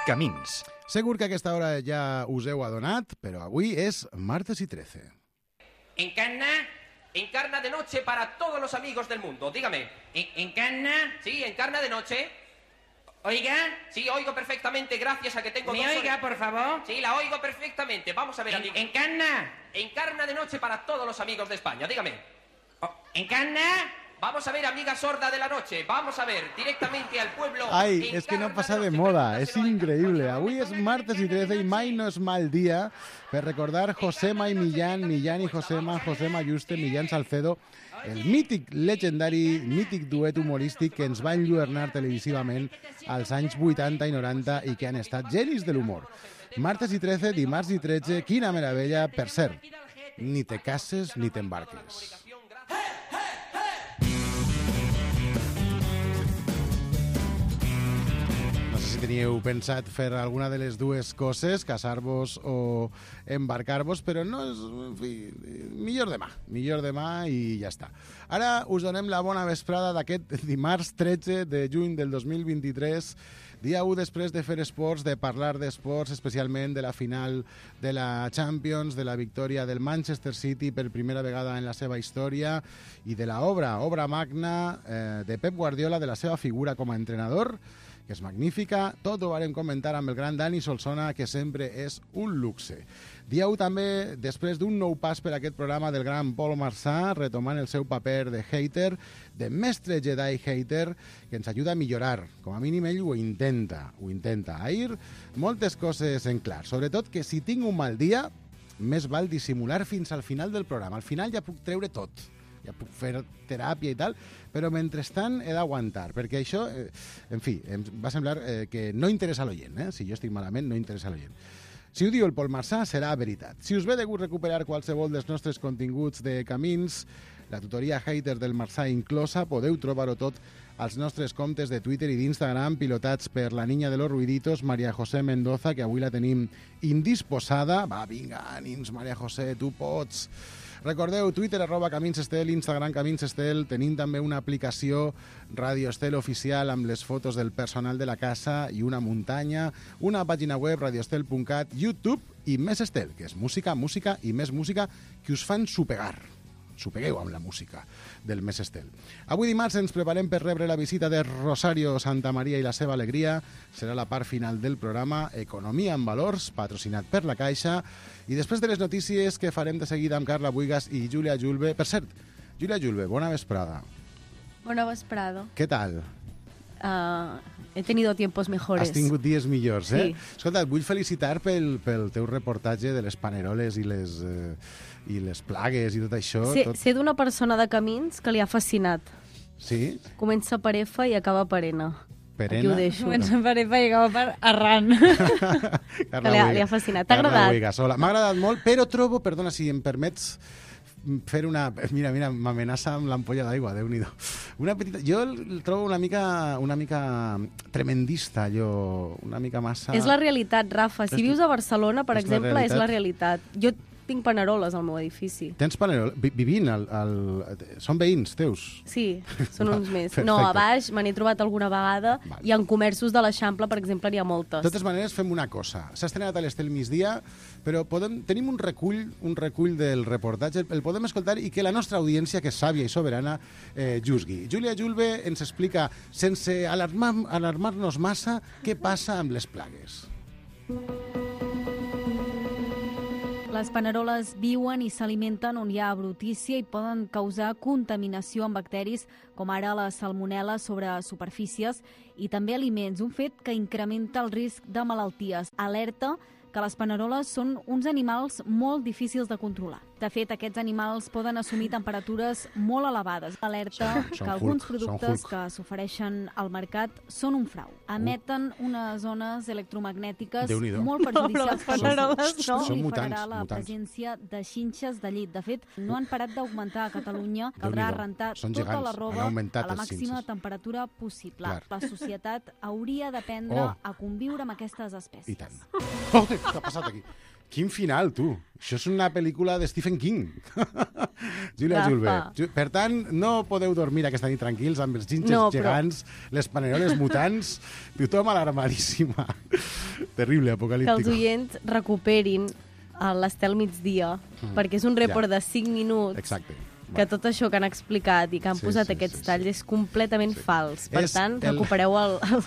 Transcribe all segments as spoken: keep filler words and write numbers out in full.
Camins. Segur que a aquesta hora ja us heu adonat, però avui és martes i trece. ¿Encarna? Encarna de noche para todos los amigos del mundo. Dígame. ¿Encarna? Sí, encarna de noche. ¿Oiga? Sí, oigo perfectamente, gracias a que tengo ¿Me dos oiga, orejas. por favor? Sí, la oigo perfectamente. Vamos a ver, En- amigo. ¿Encarna? Encarna de noche para todos los amigos de España. Dígame. Oh, ¿Encarna? Vamos a ver, amiga sorda de la noche. Vamos a ver, directamente al pueblo. Ai, és que no passa de moda, és increïble. Avui és martes i trece i mai no és mal dia per recordar Josema i Millán, Millán i Josema, Josema Yuste, Millán Salcedo, el mític, legendari, mític duet humorístic que ens va enlluernar televisivament als anys vuitanta i noranta i que han estat genis de l'humor. Martes i trece, dimarts i tretze, quina meravella. Per cert, ni te cases ni t'embarques. No sé si teníeu pensat fer alguna de les dues coses, casar-vos o embarcar-vos, però no és... En fi, millor demà, millor demà i ja està. Ara us donem la bona vesprada d'aquest dimarts tretze de juny del dos mil vint-i-tres, dia u després de fer esports, de parlar d'esports, especialment de la final de la Champions, de la victòria del Manchester City per primera vegada en la seva història i de la obra, obra magna eh, de Pep Guardiola, de la seva figura com a entrenador, que és magnífica. Tot ho varem comentar amb el gran Dani Solsona, que sempre és un luxe. Dia u també, després d'un nou pas per aquest programa del gran Pol Marçà, retomant el seu paper de hater, de mestre Jedi hater, que ens ajuda a millorar. Com a mínim ell ho intenta, ho intenta. Ahir, moltes coses en clar. Sobretot que si tinc un mal dia, més val dissimular fins al final del programa. Al final ja puc treure tot. Ja puc fer teràpia i tal, però mentrestant he d'aguantar, perquè això, eh, en fi, em va semblar eh, que no interessa a l'oient, eh? Si jo estic malament, no interessa a l'oient. Si ho diu el Pol Marçà, serà veritat. Si us ve de gust recuperar qualsevol dels nostres continguts de Camins, la tutoria hater del Marçà inclosa, podeu trobar-ho tot als nostres comptes de Twitter i d'Instagram, pilotats per la niña de los ruiditos, María José Mendoza, que avui la tenim indisposada. Va, vinga, ànims, María José, tu pots. Recordeu, Twitter, arroba Camins Estel, Instagram Camins Estel, tenim també una aplicació Radio Estel oficial amb les fotos del personal de la casa i una muntanya, una pàgina web, radioestel punt cat, YouTube i Més Estel, que és música, música i més música que us fan supegar. Supegueu amb la música del Més Estel. Avui dimarts ens preparem per rebre la visita de Rosario Santamaría i la seva alegria. Serà la part final del programa Economia en Valors, patrocinat per la Caixa. I després de les notícies que farem de seguida amb Carla Buigas i Júlia Julve. Per cert, Júlia Julve, bona vesprada. Bona vesprada. Què tal? Uh, he tenido tiempos mejores. Has tingut dies millors, eh? Sí. Escolta, et vull felicitar pel, pel teu reportatge de les paneroles i les, eh, i les plagues i tot això. Sé, tot... sé d'una persona de Camins que li ha fascinat. Sí? Comença per F i acaba per N. Perena? Aquí ho deixo. Comença per Epa i acaba per Arran. Carla Que li ha, Buigas. li ha fascinat. T'ha Carla agradat? Buigas, hola. M'ha agradat molt, però trobo, perdona, si em permets fer una... Mira, mira, m'amenaça amb l'ampolla d'aigua, Déu-n'hi-do. Una petita... Jo el trobo una mica, una mica tremendista, allò, una mica massa... És la realitat, Rafa. Si És- vius a Barcelona, per és la exemple, és la realitat. realitat. Jo tinc paneroles al meu edifici. Tens panerol... Vi- Vivint, al, al... són veïns teus? Sí, són uns més. Perfecte. No, a baix me n'he trobat alguna vegada Vale. i en comerços de l'Eixample, per exemple, n'hi ha moltes. De totes maneres, fem una cosa. S'ha estrenat a l'Estel migdia, però podem, tenim un recull, un recull del reportatge, el podem escoltar i que la nostra audiència, que és sàvia i soberana, eh, juzgui. Júlia Julve ens explica, sense alarmar, alarmar-nos massa, què passa amb les plagues. Les paneroles viuen i s'alimenten on hi ha brutícia i poden causar contaminació amb bacteris com ara la salmonel·la sobre superfícies i també aliments, un fet que incrementa el risc de malalties. Alerta que les paneroles són uns animals molt difícils de controlar. De fet, aquests animals poden assumir temperatures molt elevades. Alerta Són- són que alguns Hulk, són productes Hulk. que s'ofereixen al mercat són un frau. Emeten unes zones electromagnètiques Déu-n'hi-do. molt perjudicials per paneroles la no. salut Són i mutants, farà la mutants. presència de xinxes de llit. De fet, no han parat d'augmentar a Catalunya. Caldrà Déu-n'hi-do. rentar Són tota gegants. la Han roba augmentat a la les màxima xinxes. temperatura possible. Clar. La societat hauria d'aprendre Oh. a conviure amb aquestes espècies. I tant. Oh, què ha passat aquí? Quin final, tu. Això és una pel·lícula de Stephen King. Júlia Rafa. Julve. Ju- Per tant, no podeu dormir aquesta nit tranquils amb els xinxes No, però- gegants, les paneroles mutants, tothom alarmadíssima. Terrible, que apocalíptico. els oients recuperin a l'Estel migdia, Mm. perquè és un report Ja. de cinc minuts Exacte. que tot això que han explicat i que han Sí, posat sí, aquests sí, talls sí. és completament Sí. fals. Per És tant, el- recupereu el, el,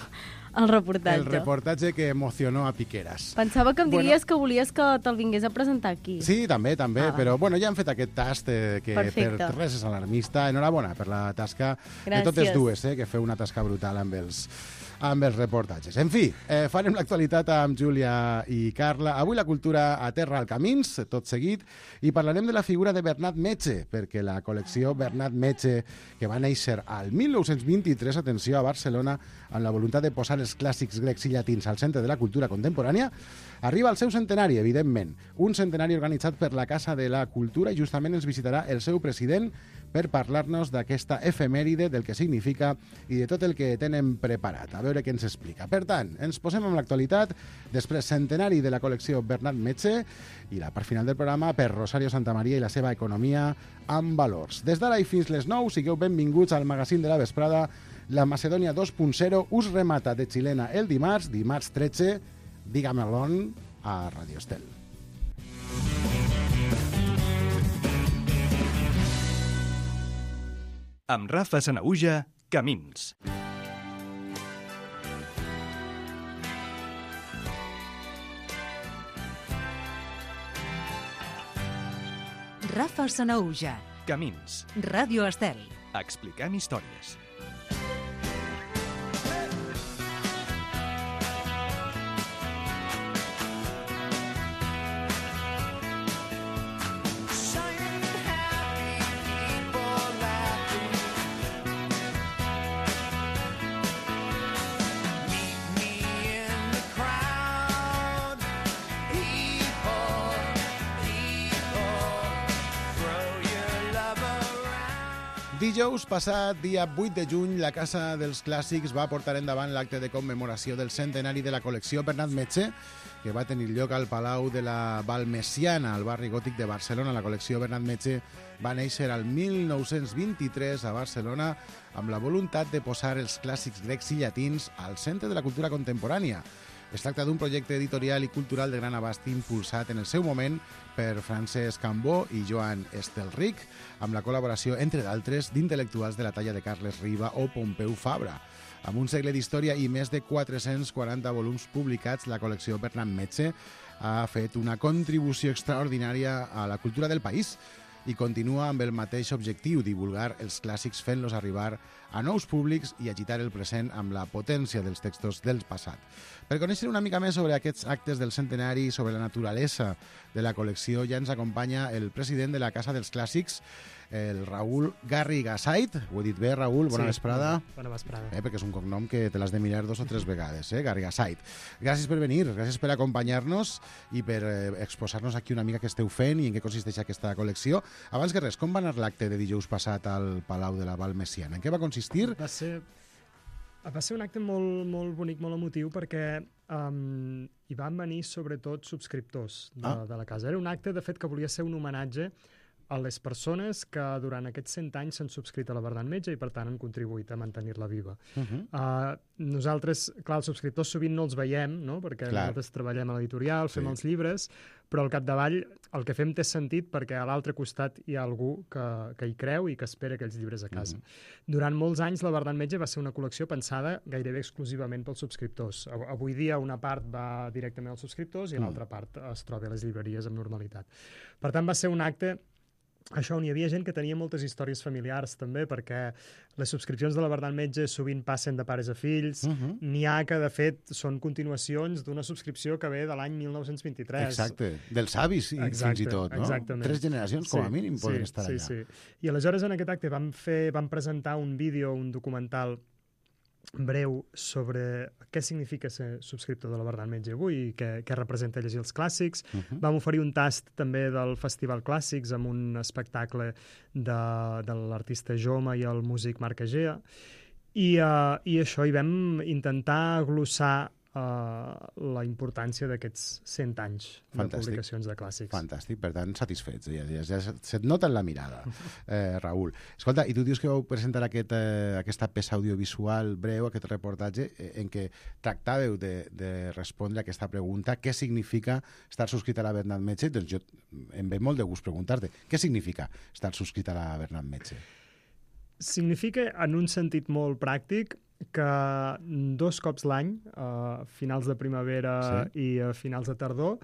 el reportatge. El reportatge que emocionó a Piqueras. Pensava que em Bueno. diries que volies que te'l vingués a presentar aquí. Sí, també, també, Ah, però bueno, ja hem fet aquest tast eh, que Perfecte. per res és alarmista. Enhorabona per la tasca de Gràcies. totes dues, eh, que feu una tasca brutal amb els, amb els reportatges. En fi, eh, farem l'actualitat amb Júlia i Carla. Avui la cultura aterra al Camins, tot seguit, i parlarem de la figura de Bernat Metge, perquè la col·lecció Bernat Metge, que va néixer al mil nou-cents vint-i-tres, atenció, a Barcelona, amb la voluntat de posar els clàssics grecs i llatins al centre de la cultura contemporània, arriba al seu centenari, evidentment. Un centenari organitzat per la Casa de la Cultura i justament ens visitarà el seu president per parlar-nos d'aquesta efemèride, del que significa i de tot el que tenen preparat. A veure què ens explica. Per tant, ens posem amb l'actualitat, després centenari de la col·lecció Bernat Metge i la part final del programa per Rosario Santamaria i la seva economia amb valors. Des d'ara i fins les nou, sigueu benvinguts al magazín de la vesprada. La Macedònia dos punt zero us remata de xilena el dimarts, dimarts tretze, Diga-me-l'on a Radio Estel. Amb Rafa Sanaüja, Camins. Rafa Sanaüja, Camins. Ràdio Estel. Explicant històries. Dijous passat, dia vuit de juny, la Casa dels Clàssics va portar endavant l'acte de commemoració del centenari de la col·lecció Bernat Metge, que va tenir lloc al Palau de la Balmesiana, al barri gòtic de Barcelona. La col·lecció Bernat Metge va néixer al mil nou-cents vint-i-tres a Barcelona amb la voluntat de posar els clàssics grecs i llatins al centre de la cultura contemporània. Es tracta d'un projecte editorial i cultural de gran abast impulsat en el seu moment per Francesc Cambó i Joan Estelric, amb la col·laboració, entre d'altres, d'intel·lectuals de la talla de Carles Riba o Pompeu Fabra. Amb un segle d'història i més de quatre-cents quaranta volums publicats, la col·lecció Bernat Metge ha fet una contribució extraordinària a la cultura del país i continua amb el mateix objectiu, divulgar els clàssics fent-los arribar a nous públics i agitar el present amb la potència dels textos del passat. Per conèixer una mica més sobre aquests actes del centenari i sobre la naturalesa de la col·lecció, ja ens acompanya el president de la Casa dels Clàssics, el Raül Garrigasait. Ho he dit bé, Raül? Bona Sí, vesprada. Bona vesprada. Eh, perquè és un cognom que te l'has de mirar dos o tres vegades, eh? Garrigasait. Gràcies per venir, gràcies per acompanyar-nos i per eh, exposar-nos aquí una mica què esteu fent i en què consisteix aquesta col·lecció. Abans que res, com va anar l'acte de dijous passat al Palau de la Balmesiana? En què va consistir? Va ser, va ser un acte molt, molt bonic, molt emotiu, perquè um, hi van venir sobretot subscriptors de, Ah. de la casa. Era un acte, de fet, que volia ser un homenatge a les persones que durant aquests cent anys s'han subscrit a la Bernat Metge i, per tant, han contribuït a mantenir-la viva. Uh -huh. Uh, nosaltres, clar, els subscriptors sovint no els veiem, no? Perquè Clar. nosaltres treballem a l'editorial, fem Sí. els llibres, però al capdavall el que fem té sentit perquè a l'altre costat hi ha algú que, que hi creu i que espera aquells llibres a casa. Mhm. Durant molts anys la Bernat Metge va ser una col·lecció pensada gairebé exclusivament pels subscriptors. Av- Avui dia una part va directament als subscriptors i Mm. l'altra part es troba a les llibreries amb normalitat. Per tant, va ser un acte això on hi havia gent que tenia moltes històries familiars també, perquè les subscripcions de la Bernat Metge sovint passen de pares a fills. Uh -huh. N'hi ha que, de fet, són continuacions d'una subscripció que ve de l'any mil nou-cents vint-i-tres. Exacte, dels avis i Exacte, fins i tot, no? exactament. Tres generacions, com a Sí, mínim, poden sí, estar sí, allà. Sí. I aleshores en aquest acte vam, fer, vam presentar un vídeo, un documental breu sobre què significa ser subscriptor de la Bernat Metge avui i què, què representa llegir els clàssics. Uh -huh. Vam oferir un tast també del Festival Clàssics amb un espectacle de, de l'artista Joma i el músic Marc Egea. I, uh, I això, hi vam intentar glossar uh, la importància d'aquests cent anys Fantàstic. de publicacions de clàssics. Fantàstic, per tant, satisfets. Ja, ja, ja se't nota en la mirada, eh, Raül. Escolta, i tu dius que vau presentar aquest, eh, aquesta peça audiovisual breu, aquest reportatge, eh, en què tractàveu de, de respondre a aquesta pregunta, què significa estar subscrit a la Bernat Metge? Doncs jo em ve molt de gust preguntar-te, què significa estar subscrit a la Bernat Metge? Significa, en un sentit molt pràctic, que dos cops l'any, a finals de primavera sí. i a finals de tardor,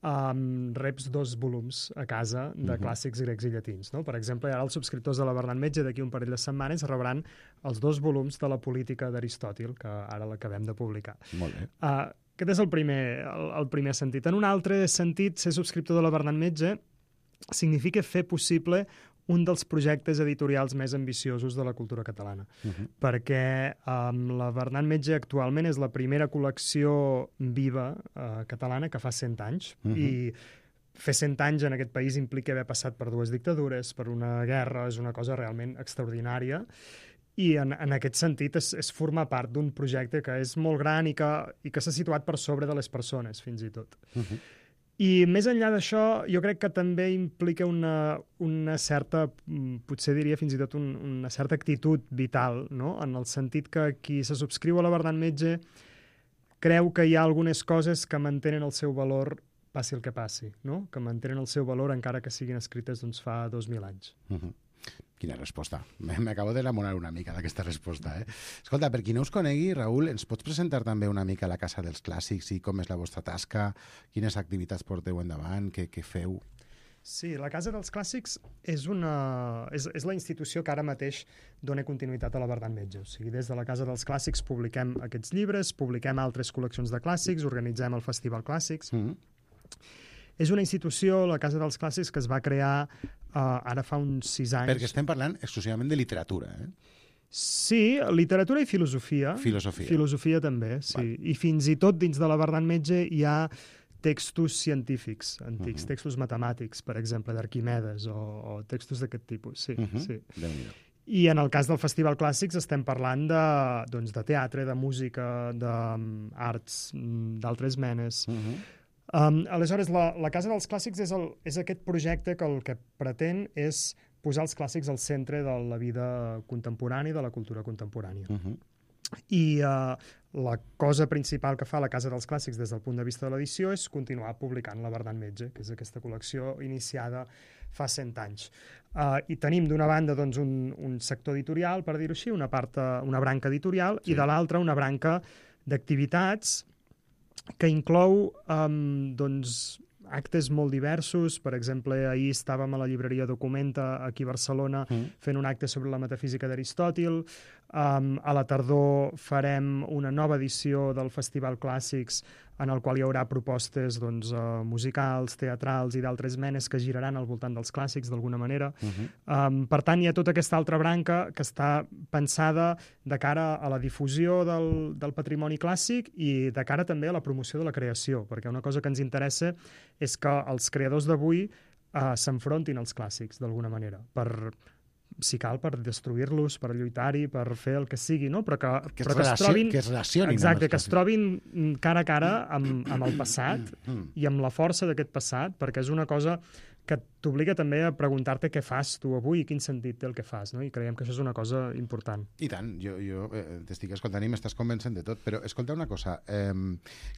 um, reps dos volums a casa de uh-huh. clàssics grecs i llatins. No? Per exemple, ara els subscriptors de la Bernat Metge d'aquí un parell de setmanes rebran els dos volums de la política d'Aristòtil, que ara l'acabem de publicar. Molt bé. Uh, aquest és el primer, el, el primer sentit. En un altre sentit, ser subscriptor de la Bernat Metge significa fer possible un dels projectes editorials més ambiciosos de la cultura catalana. Uh-huh. Perquè um, la Bernat Metge actualment és la primera col·lecció viva uh, catalana que fa cent anys. Uh-huh. I fer cent anys en aquest país implica haver passat per dues dictadures, per una guerra, és una cosa realment extraordinària. I en, en aquest sentit és, és formar part d'un projecte que és molt gran i que, i que s'ha situat per sobre de les persones, fins i tot. Uh-huh. I més enllà d'això, jo crec que també implica una, una certa, potser diria fins i tot un, una certa actitud vital, no? En el sentit que qui se subscriu a la Bernat Metge creu que hi ha algunes coses que mantenen el seu valor passi el que passi, no? Que mantenen el seu valor encara que siguin escrites doncs, fa dos mil anys. Uh-huh. Quina resposta. M'acabo d'enamorar una mica d'aquesta resposta. Eh? Escolta, per qui no us conegui, Raül, ens pots presentar també una mica la Casa dels Clàssics i com és la vostra tasca, quines activitats porteu endavant, què, què feu? Sí, la Casa dels Clàssics és, una, és, és la institució que ara mateix dona continuïtat a la Bernat Metge. O sigui, des de la Casa dels Clàssics publiquem aquests llibres, publiquem altres col·leccions de clàssics, organitzem el Festival Clàssics. Mm-hmm. És una institució, la Casa dels Clàssics, que es va crear uh, ara fa uns sis anys. Perquè estem parlant exclusivament de literatura, eh? Sí, literatura i filosofia. Filosofia. Filosofia també, sí. Va. I fins i tot dins de la Bernat Metge hi ha textos científics antics, uh-huh. textos matemàtics, per exemple, d'Arquimedes, o, o textos d'aquest tipus, sí. Uh-huh. sí. Déu-n'hi-do. I en el cas del Festival Clàssics estem parlant de, doncs, de teatre, de música, d'arts, d'altres menes. Uh-huh. Um, aleshores, la, la Casa dels Clàssics és, el, és aquest projecte que el que pretén és posar els clàssics al centre de la vida contemporània i de la cultura contemporània. Uh-huh. I uh, la cosa principal que fa la Casa dels Clàssics des del punt de vista de l'edició és continuar publicant la Bernat Metge, que és aquesta col·lecció iniciada fa cent anys. Uh, I tenim d'una banda doncs, un, un sector editorial, per dir-ho així, una, part, una branca editorial, sí. I de l'altra una branca d'activitats que inclou um, doncs, actes molt diversos. Per exemple, ahir estàvem a la llibreria Documenta, aquí a Barcelona, mm. fent un acte sobre la metafísica d'Aristòtil. Um, a la tardor farem una nova edició del Festival Clàssics, en el qual hi haurà propostes doncs, uh, musicals, teatrals i d'altres menes que giraran al voltant dels clàssics, d'alguna manera. Uh-huh. Um, per tant, hi ha tota aquesta altra branca que està pensada de cara a la difusió del, del patrimoni clàssic i de cara també a la promoció de la creació, perquè una cosa que ens interessa és que els creadors d'avui uh, s'enfrontin als clàssics, d'alguna manera, per... si cal, per destruir-los, per lluitar-hi, per fer el que sigui, no? Però que, que, però que es trobin... Que es relacionin. Exacte, que es trobin cara a cara amb, amb el passat i amb la força d'aquest passat, perquè és una cosa que t'obliga també a preguntar-te què fas tu avui i quin sentit té el que fas, no? I creiem que això és una cosa important. I tant, jo, jo eh, t'estic escoltant i m'estàs convencent de tot, però escolta una cosa, eh,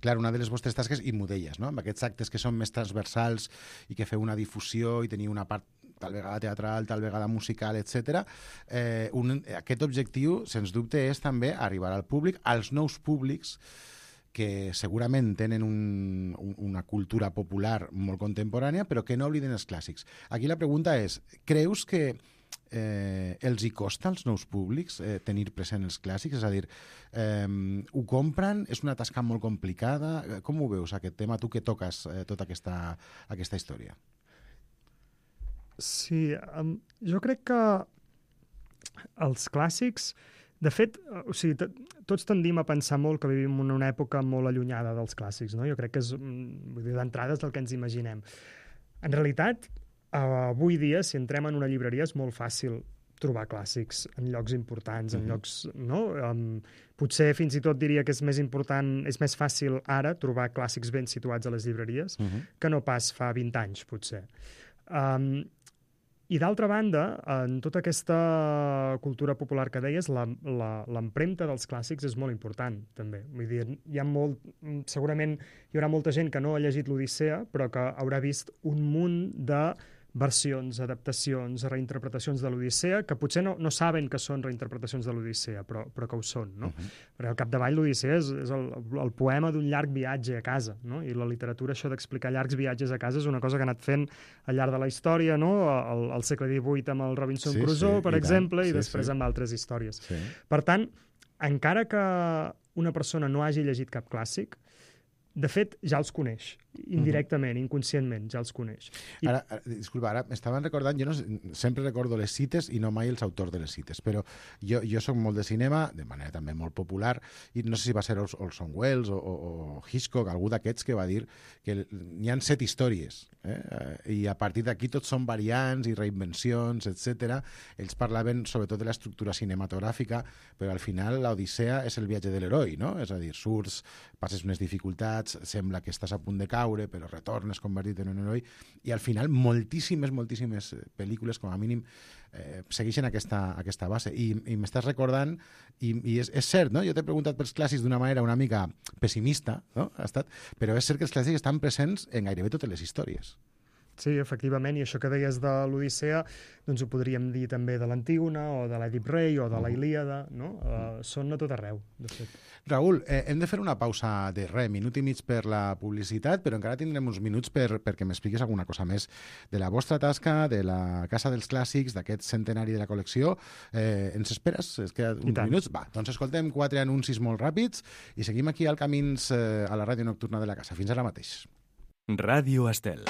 clar, una de les vostres tasques, i m'ho deies, no? Amb aquests actes que són més transversals i que feu una difusió i teniu una part tal vegada teatral, tal vegada musical, etcètera. Eh, un, aquest objectiu, sens dubte, és també arribar al públic, als nous públics, que segurament tenen un, un, una cultura popular molt contemporània, però que no obliden els clàssics. Aquí la pregunta és, creus que eh, els hi costa als nous públics eh, tenir present els clàssics? És a dir, eh, ho compren? És una tasca molt complicada? Com ho veus, aquest tema, tu que toques eh, tota aquesta, aquesta història? Sí, um, jo crec que els clàssics, de fet, o sigui, tots tendim a pensar molt que vivim en una època molt allunyada dels clàssics, no? Jo crec que és, vull dir, d'entrada és del que ens imaginem. En realitat, avui dia, si entrem en una llibreria, és molt fàcil trobar clàssics en llocs importants, en llocs... No? Um, potser fins i tot diria que és més important, és més fàcil ara trobar clàssics ben situats a les llibreries uh-huh. que no pas fa vint anys, potser. Um, I d'altra banda, en tota aquesta cultura popular que deies, l'empremta dels clàssics és molt important, també. Vull dir, hi ha molt... Segurament hi haurà molta gent que no ha llegit l'Odissea, però que haurà vist un munt de versions, adaptacions, reinterpretacions de l'Odissea, que potser no, no saben que són reinterpretacions de l'Odissea, però, però que ho són, no? Uh-huh. Perquè al capdavall l'Odissea és, és el, el poema d'un llarg viatge a casa, no? I la literatura, això d'explicar llargs viatges a casa, és una cosa que ha anat fent al llarg de la història, no? Al, al segle divuit amb el Robinson sí, Crusoe, sí, per i exemple, tant. i sí, després sí. amb altres històries. Sí. Per tant, encara que una persona no hagi llegit cap clàssic, de fet, ja els coneix, indirectament, uh-huh. inconscientment, ja els coneix. I... Ara, ara, disculpa, ara m'estaven recordant, jo no, sempre recordo les cites i no mai els autors de les cites, però jo, jo soc molt de cinema, de manera també molt popular, i no sé si va ser Orson Welles o, o, o Hitchcock, algú d'aquests que va dir que n'hi ha set històries, eh? I a partir d'aquí tots són variants i reinvencions, etcètera. Ells parlaven sobretot de l'estructura cinematogràfica, però al final l'Odissea és el viatge de l'heroi, no? És a dir, surts, passes unes dificultats, sembla que estàs a punt de caure, però retornes convertit en un heroi, i al final moltíssimes, moltíssimes pel·lícules, com a mínim, eh, segueixen aquesta, aquesta base. I, i m'estàs recordant, i, i és, és cert, no? Jo t'he preguntat pels clàssics d'una manera una mica pessimista, no? Ha estat, però és cert que els clàssics estan presents en gairebé totes les històries. Sí, efectivament, i això que deies de l'Odissea, doncs ho podríem dir també de l'Antígona, o de l'Èdip Rei, o de la Ilíada, no? Uh, són a tot arreu, de fet. Raül, eh, hem de fer una pausa de res, minut i mig per la publicitat, però encara tindrem uns minuts per, perquè m'expliquis alguna cosa més de la vostra tasca, de la Casa dels Clàssics, d'aquest centenari de la col·lecció. Eh, ens esperes? Es queda uns minuts? Va, doncs escoltem quatre anuncis molt ràpids i seguim aquí al Camins, eh, a la ràdio nocturna de la casa. Fins ara mateix. Ràdio Estel.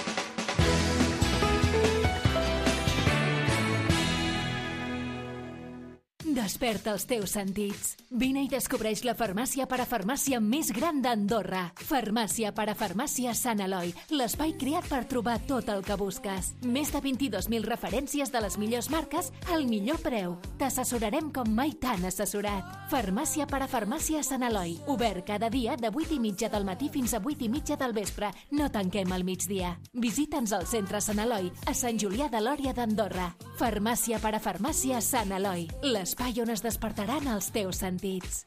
Desperta els teus sentits. Vine i descobreix la farmàcia parafarmàcia més gran d'Andorra. Farmàcia parafarmàcia Sant Eloi, l'espai creat per trobar tot el que busques. Més de vint-i-dos mil referències de les millors marques al millor preu. T'assessorarem com mai t'han assessorat. Farmàcia parafarmàcia Sant Eloi, obert cada dia de vuit i mitja del matí fins a vuit i mitja del vespre. No tanquem al migdia. Visita'ns al centre Sant Eloi, a Sant Julià de Lòria d'Andorra. Farmàcia parafarmàcia Sant Eloi, l'espai on es despertaran els teus sentits.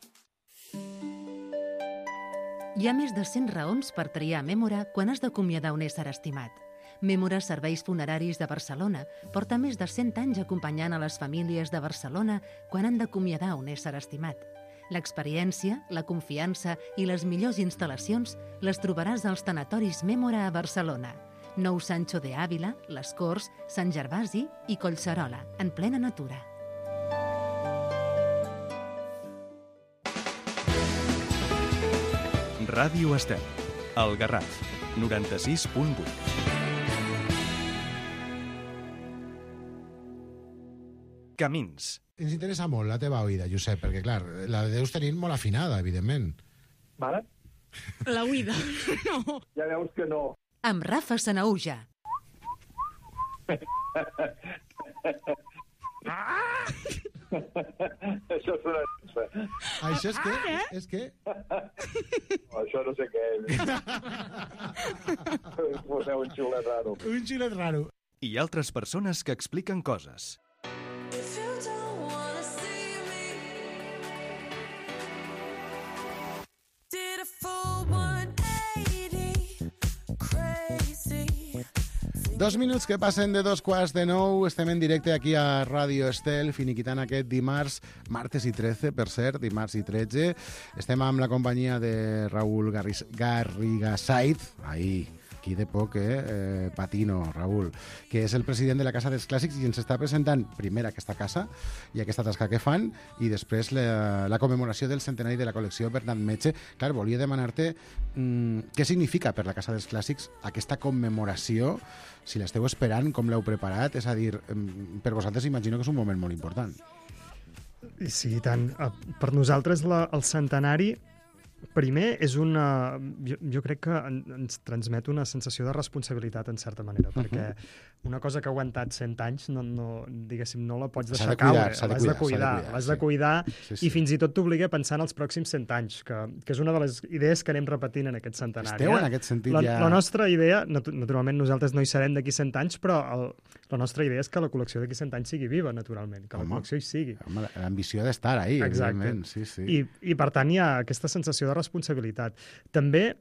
Hi ha més de cent raons per triar Mémora quan has d'acomiadar un ésser estimat. Mémora Serveis Funeraris de Barcelona porta més de cent anys acompanyant a les famílies de Barcelona quan han d'acomiadar un ésser estimat. L'experiència, la confiança i les millors instal·lacions les trobaràs als tanatoris Mémora a Barcelona. Nou Sancho de Ávila, Les Corts, Sant Gervasi i Collserola, en plena natura. Ràdio Estel, El Garraf, noranta-sis punt vuit. Camins. Ens interessa molt la teva oïda, Josep, perquè, clar, la deus tenir molt afinada, evidentment. Vale? La oïda, no. Ja veus que no. Amb Rafa Sanaúja. Ah! Això és una... Això és què? Ah, és què? No, això no sé què és. Poseu un xiulet raro. Un xiulet raro. I altres persones que expliquen coses. Dos minuts que passen de dos quarts de nou. Estem en directe aquí a Ràdio Estel, finiquitant aquest dimarts, martes i tretze, per cert, dimarts i tretze. Estem amb la companyia de Raül Garrigasait. Ahí, aquí de poc, eh? eh? Patino, Raül, que és el president de la Casa dels Clàssics i ens està presentant primer aquesta casa i aquesta tasca que fan i després la, la commemoració del centenari de la col·lecció Bernat Metge. Clar, volia demanar-te mmm, què significa per la Casa dels Clàssics aquesta commemoració, si l'esteu esperant, com l'heu preparat, és a dir, per vosaltres imagino que és un moment molt important. Sí, i tant. Per nosaltres la, el centenari primer, és una... Jo, jo crec que en, ens transmet una sensació de responsabilitat, en certa manera, uh -huh. perquè una cosa que ha aguantat cent anys, no, no, diguéssim, no la pots deixar de cuidar, caure. L'has de cuidar, l'has de cuidar, sí, sí. i fins i tot t'obliga a pensar en els pròxims cent anys, que, que és una de les idees que anem repetint en aquest centenari. Esteu eh? en aquest sentit la, ja... La nostra idea, naturalment nosaltres no hi serem d'aquí cent anys, però el, la nostra idea és que la col·lecció d'aquí cent anys sigui viva, naturalment, que home, la col·lecció hi sigui. Home, l'ambició ha d'estar ahí, exacte. Evidentment. Sí, sí. I, I, per tant, hi ha aquesta sensació de responsabilitat. També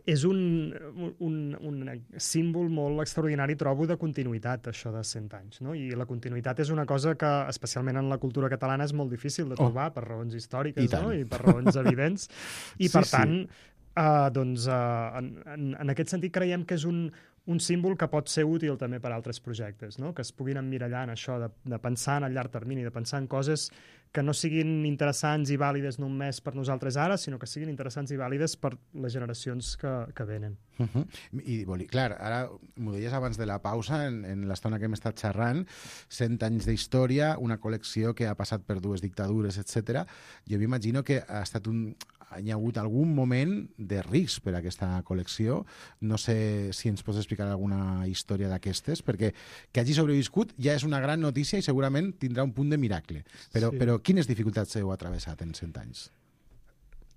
és un, un, un símbol molt extraordinari, trobo, de continuïtat, això de cent anys. No? I la continuïtat és una cosa que, especialment en la cultura catalana, és molt difícil de trobar, oh. per raons històriques, I, no? I per raons evidents. I, sí, per tant, sí. uh, doncs, uh, en, en, en aquest sentit, creiem que és un, un símbol que pot ser útil també per a altres projectes, no? Que es puguin emmirallar en això, de, de pensar en el llarg termini, de pensar en coses que no siguin interessants i vàlides només per nosaltres ara, sinó que siguin interessants i vàlides per les generacions que, que venen. Uh -huh. I, boli, clar, ara m'ho deies abans de la pausa, en, en l'estona que hem estat xerrant, cent anys d'història, una col·lecció que ha passat per dues dictadures, etcètera. Jo m'imagino que ha estat un... hi ha hagut algun moment de risc per a aquesta col·lecció. No sé si ens pots explicar alguna història d'aquestes, perquè que hagi sobreviscut ja és una gran notícia i segurament tindrà un punt de miracle. Però, sí. però quines dificultats heu atravessat en cent anys?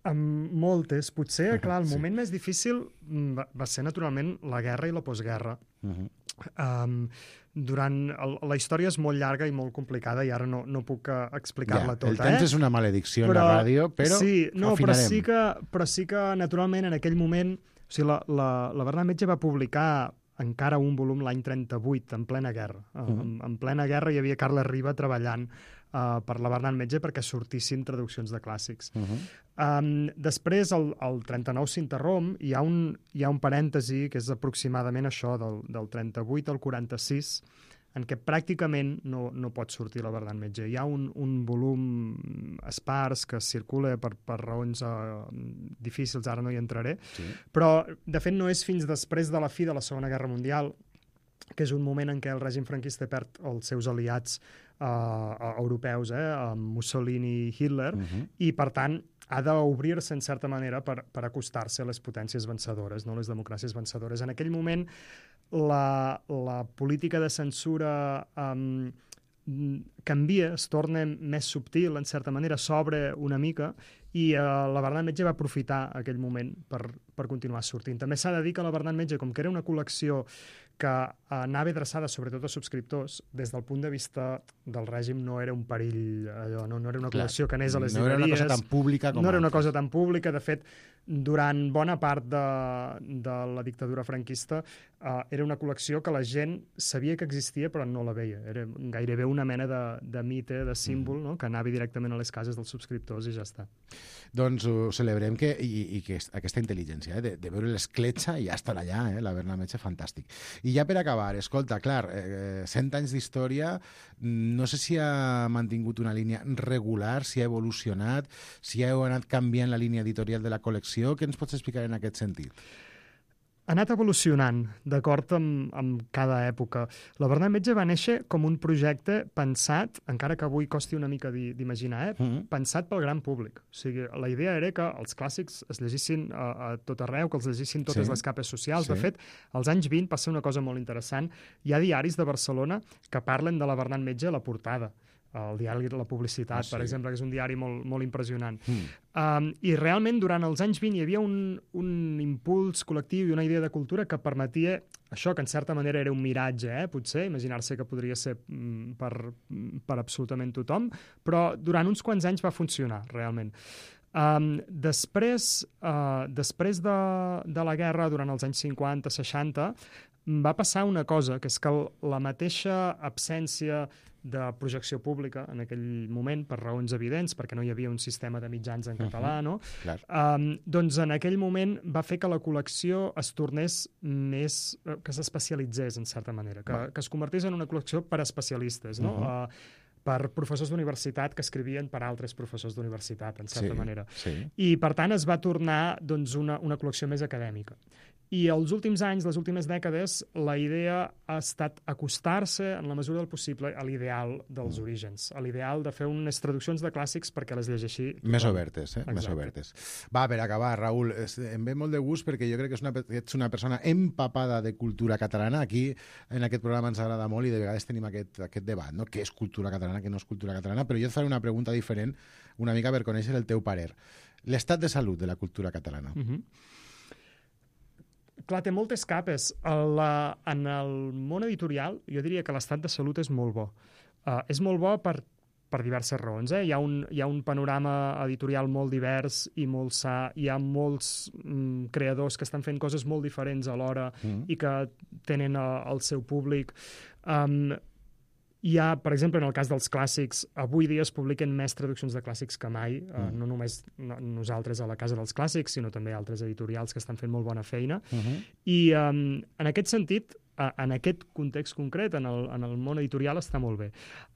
Amb moltes. Potser, clar, el sí. moment més difícil va, va ser, naturalment, la guerra i la postguerra. Uh-huh. Um, durant el, la història és molt llarga i molt complicada i ara no, no puc uh, explicar-la ja, tota. El temps eh? és una maledicció però, en la ràdio, però sí, no, afinarem. Però sí, que, però sí que, naturalment, en aquell moment... O sigui, la, la, la Bernat Metge va publicar encara un volum l'any trenta-vuit, en plena guerra. Uh-huh. en, en plena guerra hi havia Carles Riba treballant uh, per la Bernat Metge perquè sortissin traduccions de clàssics. Uh-huh. um, després, el, el trenta-nou s'interromp, hi ha un, hi ha un parèntesi que és aproximadament això, del, del trenta-vuit al quaranta-sis, en què pràcticament no, no pot sortir la Bernat Metge. Hi ha un, un volum espars que circula per, per raons uh, difícils, ara no hi entraré, sí. Però, de fet, no és fins després de la fi de la Segona Guerra Mundial, que és un moment en què el règim franquista perd els seus aliats uh, europeus, eh, Mussolini i Hitler, uh-huh. i, per tant, ha d'obrir-se, en certa manera, per, per acostar-se a les potències vencedores, no les democràcies vencedores. En aquell moment, la, la política de censura um, canvia, es torna més subtil, en certa manera, s'obre una mica, i uh, la Bernat Metge va aprofitar aquell moment per, per continuar sortint. També s'ha de dir que la Bernat Metge, com que era una col·lecció que anava adreçada sobretot a subscriptors, des del punt de vista del règim no era un perill, allò, no, no era una col·lecció que anés a les no llibreries. No era una cosa tan pública com No era una altres. cosa tan pública. De fet, durant bona part de, de la dictadura franquista uh, era una col·lecció que la gent sabia que existia però no la veia. Era gairebé una mena de, de mite, de símbol, mm. no? Que anava directament a les cases dels subscriptors i ja està. Doncs ho celebrem que, i, i que aquesta intel·ligència, eh, de, de veure l'escletxa i ja estar allà, eh, la Bernat Metge, fantàstic. I ja per acabar, escolta, clar, eh, cent anys d'història, no sé si ha mantingut una línia regular, si ha evolucionat, si heu anat canviant la línia editorial de la col·lecció. Què ens pots explicar en aquest sentit? Ha anat evolucionant, d'acord amb, amb cada època. La Bernat Metge va néixer com un projecte pensat, encara que avui costi una mica d'imaginar, eh? Mm-hmm. pensat pel gran públic. O sigui, la idea era que els clàssics es llegissin a, a tot arreu, que els llegissin totes sí. les capes socials. Sí. De fet, als anys vint passa una cosa molt interessant. Hi ha diaris de Barcelona que parlen de la Bernat Metge a la portada. El diari La Publicitat, ah, sí. per exemple, que és un diari molt, molt impressionant. Mm. Um, I realment, durant els anys vint, hi havia un, un impuls col·lectiu i una idea de cultura que permetia això, que en certa manera era un miratge, eh, potser, imaginar-se que podria ser mm, per, per absolutament tothom, però durant uns quants anys va funcionar, realment. Um, després uh, després de, de la guerra, durant els anys cinquanta seixanta, va passar una cosa, que és que la mateixa absència de projecció pública en aquell moment, per raons evidents, perquè no hi havia un sistema de mitjans en català, no? Clar. Um, doncs en aquell moment va fer que la col·lecció es tornés més... que s'especialitzés, en certa manera, que, que es convertís en una col·lecció per a especialistes, no? Uh-huh. uh, per professors d'universitat que escrivien per altres professors d'universitat, en certa sí, manera. Sí. I, per tant, es va tornar doncs, una, una col·lecció més acadèmica. I els últims anys, les últimes dècades, la idea ha estat acostar-se, en la mesura del possible, a l'ideal dels orígens, a l'ideal de fer unes traduccions de clàssics perquè les llegeixi tothom. Més obertes, eh? Exacte. Més obertes. Va, per acabar, Raül, em ve molt de gust perquè jo crec que és una, ets una persona empapada de cultura catalana. Aquí, en aquest programa, ens agrada molt i de vegades tenim aquest, aquest debat, no? Què és cultura catalana, què no és cultura catalana? Però jo et faré una pregunta diferent, una mica per conèixer el teu parer. L'estat de salut de la cultura catalana. Uh-huh. Clar, té moltes capes. La, en el món editorial, jo diria que l'estat de salut és molt bo. Uh, és molt bo per, per diverses raons. Eh? Hi ha un, hi ha un panorama editorial molt divers i molt sa. Hi ha molts mm, creadors que estan fent coses molt diferents alhora mm. i que tenen uh, el seu públic. Um, Hi ha, per exemple, en el cas dels clàssics, avui dia es publiquen més traduccions de clàssics que mai, mm. uh, no només no, nosaltres a la Casa dels Clàssics, sinó també altres editorials que estan fent molt bona feina. Uh-huh. I um, en aquest sentit, uh, en aquest context concret, en el, en el món editorial, està molt bé.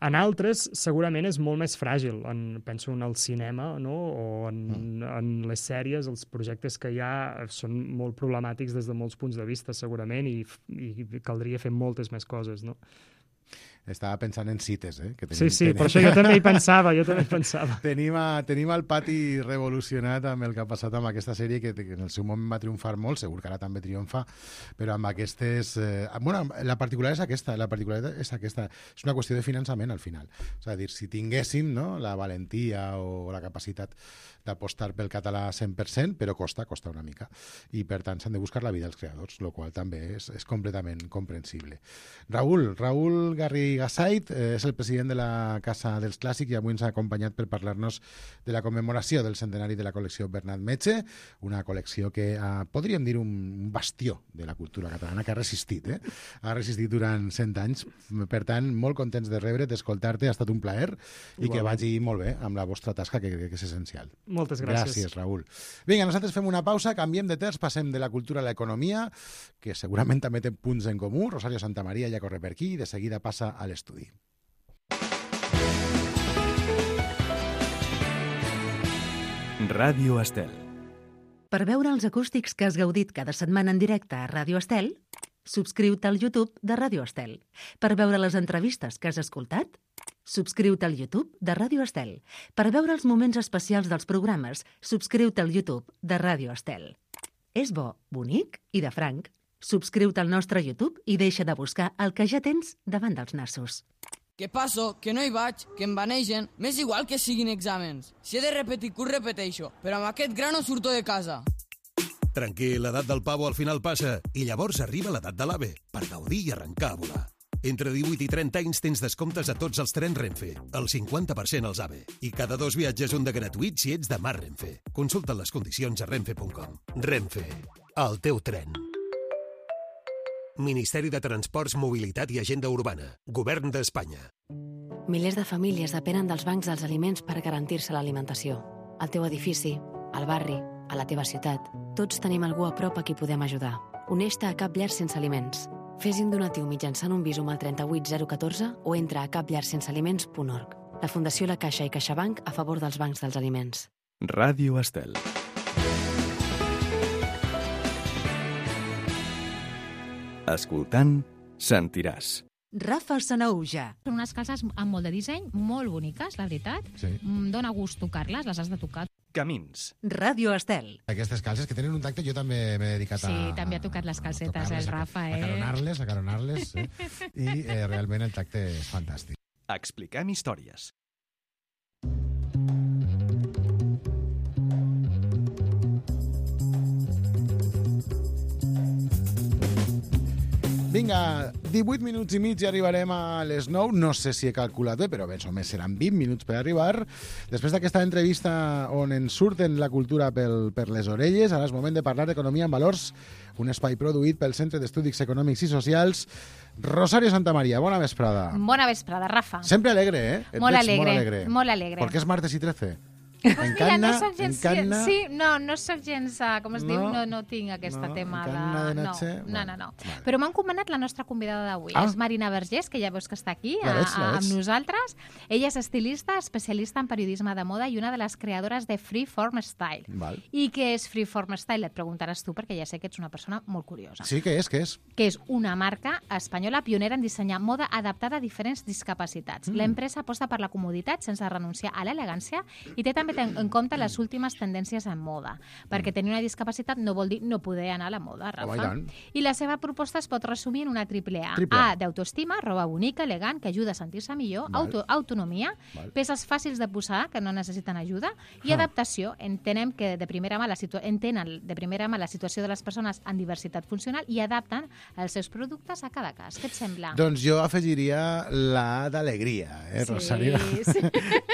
En altres, segurament, és molt més fràgil. En, penso en el cinema, no? O en, mm. en les sèries, els projectes que hi ha són molt problemàtics des de molts punts de vista, segurament, i, i caldria fer moltes més coses, no? Estava pensant en cites, eh? Que tenim, sí, sí, tenim... per això jo també hi pensava, jo també hi pensava. tenim, a, tenim el pati revolucionat amb el que ha passat amb aquesta sèrie, que, que en el seu moment va triomfar molt, segur que ara també triomfa, però amb aquestes... Eh, bueno, la particularitat és aquesta, la particularitat és aquesta. És una qüestió de finançament, al final. És a dir, si tinguéssim, no?, la valentia o la capacitat d'apostar pel català cent per cent, però costa, costa una mica. I, per tant, s'han de buscar la vida als creadors, el qual també és, és completament comprensible. Raül, Raül Garrigasait eh, és el president de la Casa dels Clàssics i avui ens ha acompanyat per parlar-nos de la commemoració del centenari de la col·lecció Bernat Metge, una col·lecció que eh, podríem dir un bastió de la cultura catalana que ha resistit, eh? Ha resistit durant cent anys. Per tant, molt contents de rebre, d'escoltar-te, ha estat un plaer i Igual. Que vagi molt bé amb la vostra tasca, que crec que és essencial. Moltes gràcies. Gràcies, Raül. Vinga, nosaltres fem una pausa, canviem de terç, passem de la cultura a l'economia, que segurament també té punts en comú. Rosario Santamaría ja corre per aquí i de seguida passa a l'estudi. Ràdio Estel. Per veure els acústics que has gaudit cada setmana en directe a Ràdio Estel, subscriu-te al YouTube de Ràdio Estel. Per veure les entrevistes que has escoltat, subscriu-te al YouTube de Ràdio Estel. Per veure els moments especials dels programes, subscriu-te al YouTube de Ràdio Estel. És bo, bonic i de franc. Subscriu-te al nostre YouTube i deixa de buscar el que ja tens davant dels nassos. Que passo, que no hi vaig, que em banegen, m'és igual que siguin exàmens. Si he de repetir curs, repeteixo, però amb aquest gra no surto de casa. Tranquil, l'edat del pavo al final passa i llavors arriba l'edat de l'AVE per gaudir i arrencar a volar. Entre divuit i trenta anys tens descomptes a tots els trens Renfe, el cinquanta per cent als AVE. I cada dos viatges un de gratuït si ets de Mar Renfe. Consulta les condicions a renfe punt com. Renfe, el teu tren. Ministeri de Transports, Mobilitat i Agenda Urbana. Govern d'Espanya. Milers de famílies depenen dels bancs dels aliments per garantir-se l'alimentació. Al teu edifici, al barri, a la teva ciutat, tots tenim algú a prop a qui podem ajudar. Uneix-te a Cap Llar Sense Aliments. Fes un donatiu mitjançant un Bizum al trenta-vuit zero catorze o entra a cap llar sense aliments punt org. La Fundació La Caixa i CaixaBank a favor dels bancs dels aliments. Ràdio Estel. Escoltant, sentiràs. Rafa Sanaúja. Són unes calces amb molt de disseny, molt boniques, la veritat. Sí. Dóna gust tocar-les, les has de tocar. Camins. Ràdio Estel. Aquestes calces que tenen un tacte, jo també m'he dedicat a... Sí, també ha tocat les calcetes, el Rafa, eh? A caronar-les, a caronar-les, eh? I eh, realment el tacte és fantàstic. Expliquem històries. Vinga, divuit minuts i mig i arribarem a les nou. No sé si he calculat bé, però més o més seran vint minuts per arribar. Després d'aquesta entrevista on ens surten la cultura pel, per les orelles, ara és moment de parlar d'economia en valors, un espai produït pel Centre d'Estudis Econòmics i Socials. Rosario Santamaría, bona vesprada. Bona vesprada, Rafa. Sempre alegre, eh? Et molt veig alegre, molt alegre. Molt alegre. Perquè és martes i trece. En Mira, Canna, no soc gens... en Canna... Sí, no, no soc gens... uh, Com es No? diu? No, no tinc aquest No, tema en de... Canna de No, noche? no, Vale, no, no. vale. Però m'han comanat la nostra convidada d'avui. Ah. És Marina Vergés, que ja veus que està aquí La a, veig, la a, veig. amb nosaltres. Ella és estilista, especialista en periodisme de moda i una de les creadores de Freeform Style. Val. I què és Freeform Style? Et preguntaràs tu, perquè ja sé que ets una persona molt curiosa. Sí, què és, què és? Que és una marca espanyola pionera en dissenyar moda adaptada a diferents discapacitats. Mm. L'empresa aposta per la comoditat sense renunciar a l'elegància i té també ten en compte les últimes tendències en moda, perquè tenir una discapacitat no vol dir no poder anar a la moda, Rafa. Home, i tant. I la seva proposta es pot resumir en una triple A. Triple A. A, d'autoestima, roba bonica, elegant, que ajuda a sentir-se millor, Val. auto, autonomia, Val. peces fàcils de posar, que no necessiten ajuda, i Ah. adaptació. Entenem que de primera mà la situa entenen de primera mà la situació de les persones en diversitat funcional i adapten els seus productes a cada cas. Què et sembla? Doncs jo afegiria la d'alegria, eh, Sí, Rosario? sí.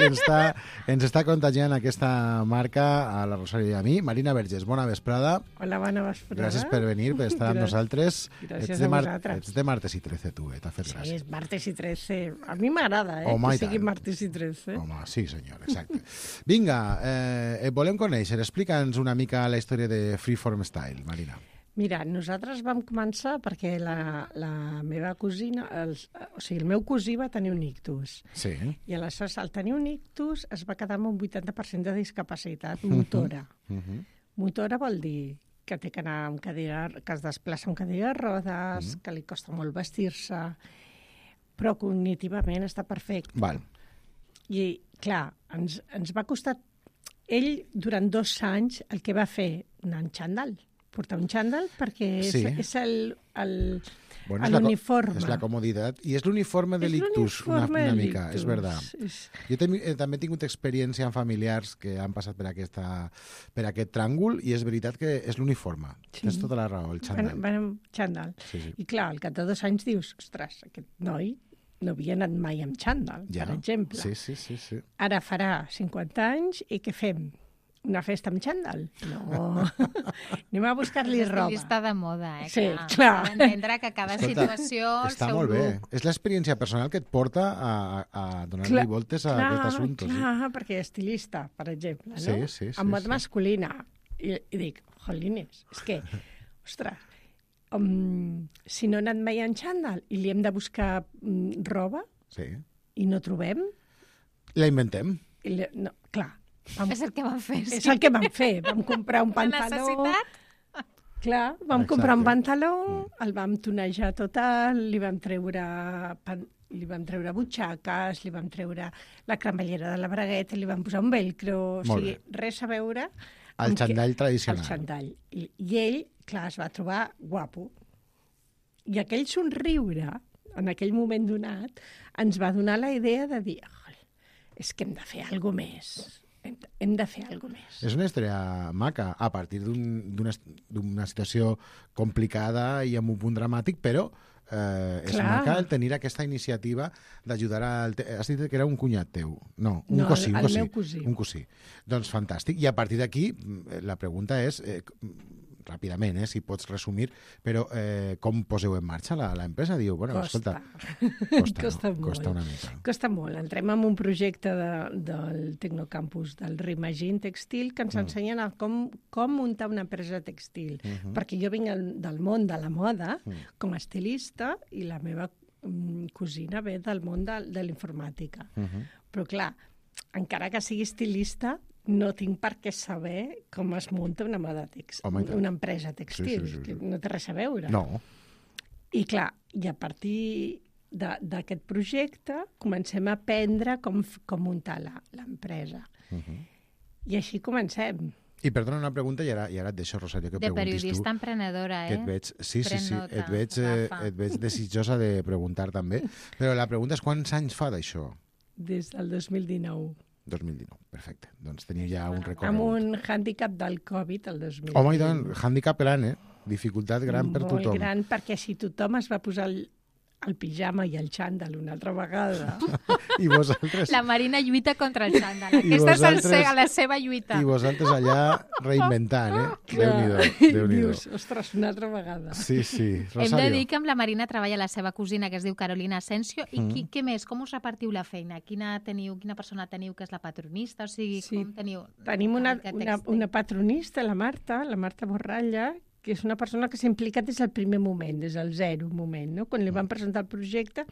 ens, està, ens està contagiant aquesta marca a la Rosario i a mi. Marina Vergés, bona vesprada. Hola, bona vesprada. Gràcies per venir, per estar amb Gràcies. nosaltres. Gràcies ets de a mar... vosaltres. Ets de martes i trece, tu, eh? T'ha fet Sí, gràcia. és martes i trece. A mi m'agrada, eh, Home, i que sigui tant. martes i trece. Home, sí, senyor, exacte. Vinga, eh, et volem conèixer. Explica'ns una mica la història de Freeform Style, Marina. Mira, nosaltres vam començar perquè la, la meva cosina, els, o sigui, el meu cosí va tenir un ictus. Sí. I aleshores, al tenir un ictus, es va quedar amb un vuitanta per cent de discapacitat motora. Uh -huh. Motora vol dir que té que anar amb cadira, que es desplaça amb cadira de rodes, Mhm. que li costa molt vestir-se, però cognitivament està perfecte. Val. I, clar, ens, ens va costar... Ell, durant dos anys, el que va fer, anar en xandall. Portar un xandall perquè és, Sí. és el, el, Bueno, és la co- l'uniforme. És la comoditat. I és l'uniforme de És l'ictus, una, l'uniforme una de mica, l'ictus. és verdad. És- Jo també, eh, també he tingut experiència amb familiars que han passat per, aquesta, per aquest tràngol i és veritat que és l'uniforme. Sí. Tens tota la raó, el xandall. Van, van amb xandall. Sí, sí. I clar, al cap de dos anys dius, ostres, aquest noi no havia anat mai amb xandall, Ja. per exemple. Sí, sí, sí, sí. Ara farà cinquanta anys i què fem? Una festa amb xandall? No. Anem a buscar-li És roba. estilista de moda, eh? Sí, clar. clar. S'ha d'entendre que cada Escolta, situació... el Està seu molt bé. look. És l'experiència personal que et porta a, a donar-li Clar, voltes a clar, aquest assumpte. Sí. Clar, perquè estilista, per exemple, no? Sí, sí, sí, en moda sí. masculina. I, I dic, jolines, és que, ostres, um, si no he anat mai en xandall i li hem de buscar um, roba Sí. i no trobem, La inventem. i li, no, clar. Vam, És el que van fer. és el que vam fer. Vam comprar un La pantaló. necessitat. Clar, vam Exacte. comprar un pantaló, el vam tonejar total, li vam treure pan, li vam treure butxaques, li vam treure la cremallera de la bragueta, li vam posar un velcro, o Molt sigui, bé. res a veure... El amb xandall que- tradicional. El xandall. I, I ell, clar, es va trobar guapo. I aquell somriure, en aquell moment donat, ens va donar la idea de dir, "Oi, és que hem de fer alguna més. Hem de, hem de fer alguna més. És una història maca, a partir d'un- d'una d'una situació complicada i amb un punt dramàtic, però eh, és Clar. maca el tenir aquesta iniciativa d'ajudar al... te- Has dit que era un cunyat teu. No, un No, cosí, el- un el cosí. meu cosí. Un cosí. Doncs fantàstic. I a partir d'aquí, mm, la pregunta és, eh, ràpidament, eh, si pots resumir, però eh, com poseu en marxa la, la empresa? Diu, bueno, Costa. escolta, costa, Costa no? molt. Costa una mica. Costa molt. Entrem en un projecte de, del Tecnocampus del Reimagine Textil que ens Mm. ensenyen a com, com muntar una empresa textil. Mhm. Perquè jo vinc el- del món de la moda Mm. com a estilista i la meva mm, cosina ve del món de, de l'informàtica. Mhm. Però clar, encara que sigui estilista, no tinc per què saber com es munta una moda tex, Home, i tant. una empresa textil, Sí, sí, sí, sí. que no té res a veure. No. I clar, i a partir de- d'aquest projecte comencem a aprendre com, f- com muntar la- l'empresa. Mhm. I així comencem. I perdona una pregunta i ara, i ara et deixo, Rosario, que De preguntis periodista tu. emprenedora, eh? Que et veig, sí, sí, Pren sí, nota, et veig, eh, Rafa. et veig desitjosa de preguntar també. Però la pregunta és quants anys fa d'això? Des del dos mil dinou. dos mil dinou, perfecte. Doncs teniu ja un Amb recorregut. un hàndicap del Covid el dos mil dinou. Home, i tant, hàndicap gran, eh? Dificultat gran per Molt tothom. gran, perquè si tothom es va posar al, el pijama i el xandall una altra vegada. I vosaltres... La Marina lluita contra el xandall. Aquesta vosaltres... és el, la seva lluita. I vosaltres allà reinventant, eh? Déu-n'hi-do, Déu-n'hi-do. Dius, ostres, una altra vegada. Sí, sí. Rosario. Hem de dir que amb la Marina treballa la seva cosina, que es diu Carolina Asensio. I Mm. qui, què més? Com us repartiu la feina? Quina, teniu, quina persona teniu que és la patronista? O sigui, Sí. com teniu... Tenim una, aquest una, text? una patronista, la Marta, la Marta Borralla, que és una persona que s'ha implicat des del primer moment, des del zero moment, no? Quan li van presentar el projecte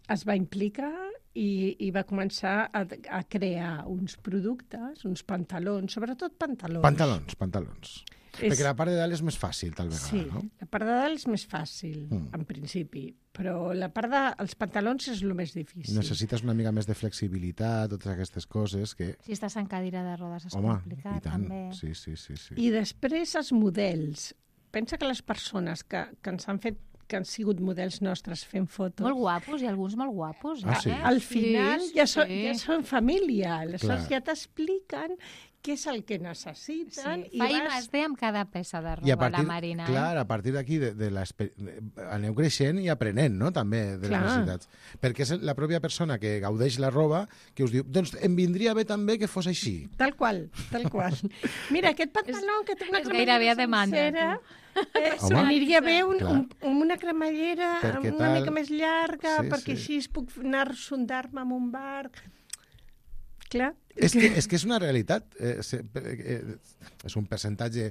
es va implicar i, i va començar a, a crear uns productes, uns pantalons, sobretot pantalons. Pantalons, pantalons. És... Perquè la part de dalt és més fàcil, tal vegada, Sí, no? la part de dalt és més fàcil, Mm. en principi, però la part dels pantalons és el més difícil. Necessites una mica més de flexibilitat, totes aquestes coses que... Si estàs en cadira de rodes és Home, complicat, i tant. també. Sí, sí, sí, sí. I després els models. Pensa que les persones que, que ens han fet que han sigut models nostres fent fotos... Molt guapos, i alguns molt guapos. Ah, sí? Eh? Al final Sí, ja, són, sí. ja són família, aleshores Clar. ja t'expliquen què és el que necessiten. Sí. Fa I més D amb cada peça de I a roba, partir, la Marina. clar, eh? a partir d'aquí de, de l'espe- de- aneu creixent i aprenent, no?, també, de Clar. les necessitats. Perquè és la pròpia persona que gaudeix la roba que us diu, doncs em vindria bé també que fos així. Tal qual, tal qual. Mira, aquest pantaló que té una és gairebé a demanda, sencera, eh, Home, aniria bé un, clar. un, una cremallera Perquè una tal- mica més llarga, Sí, perquè sí. així es puc anar a sondar-me amb un barc. Clar. És que, és que és una realitat. Eh, se, eh, és un percentatge,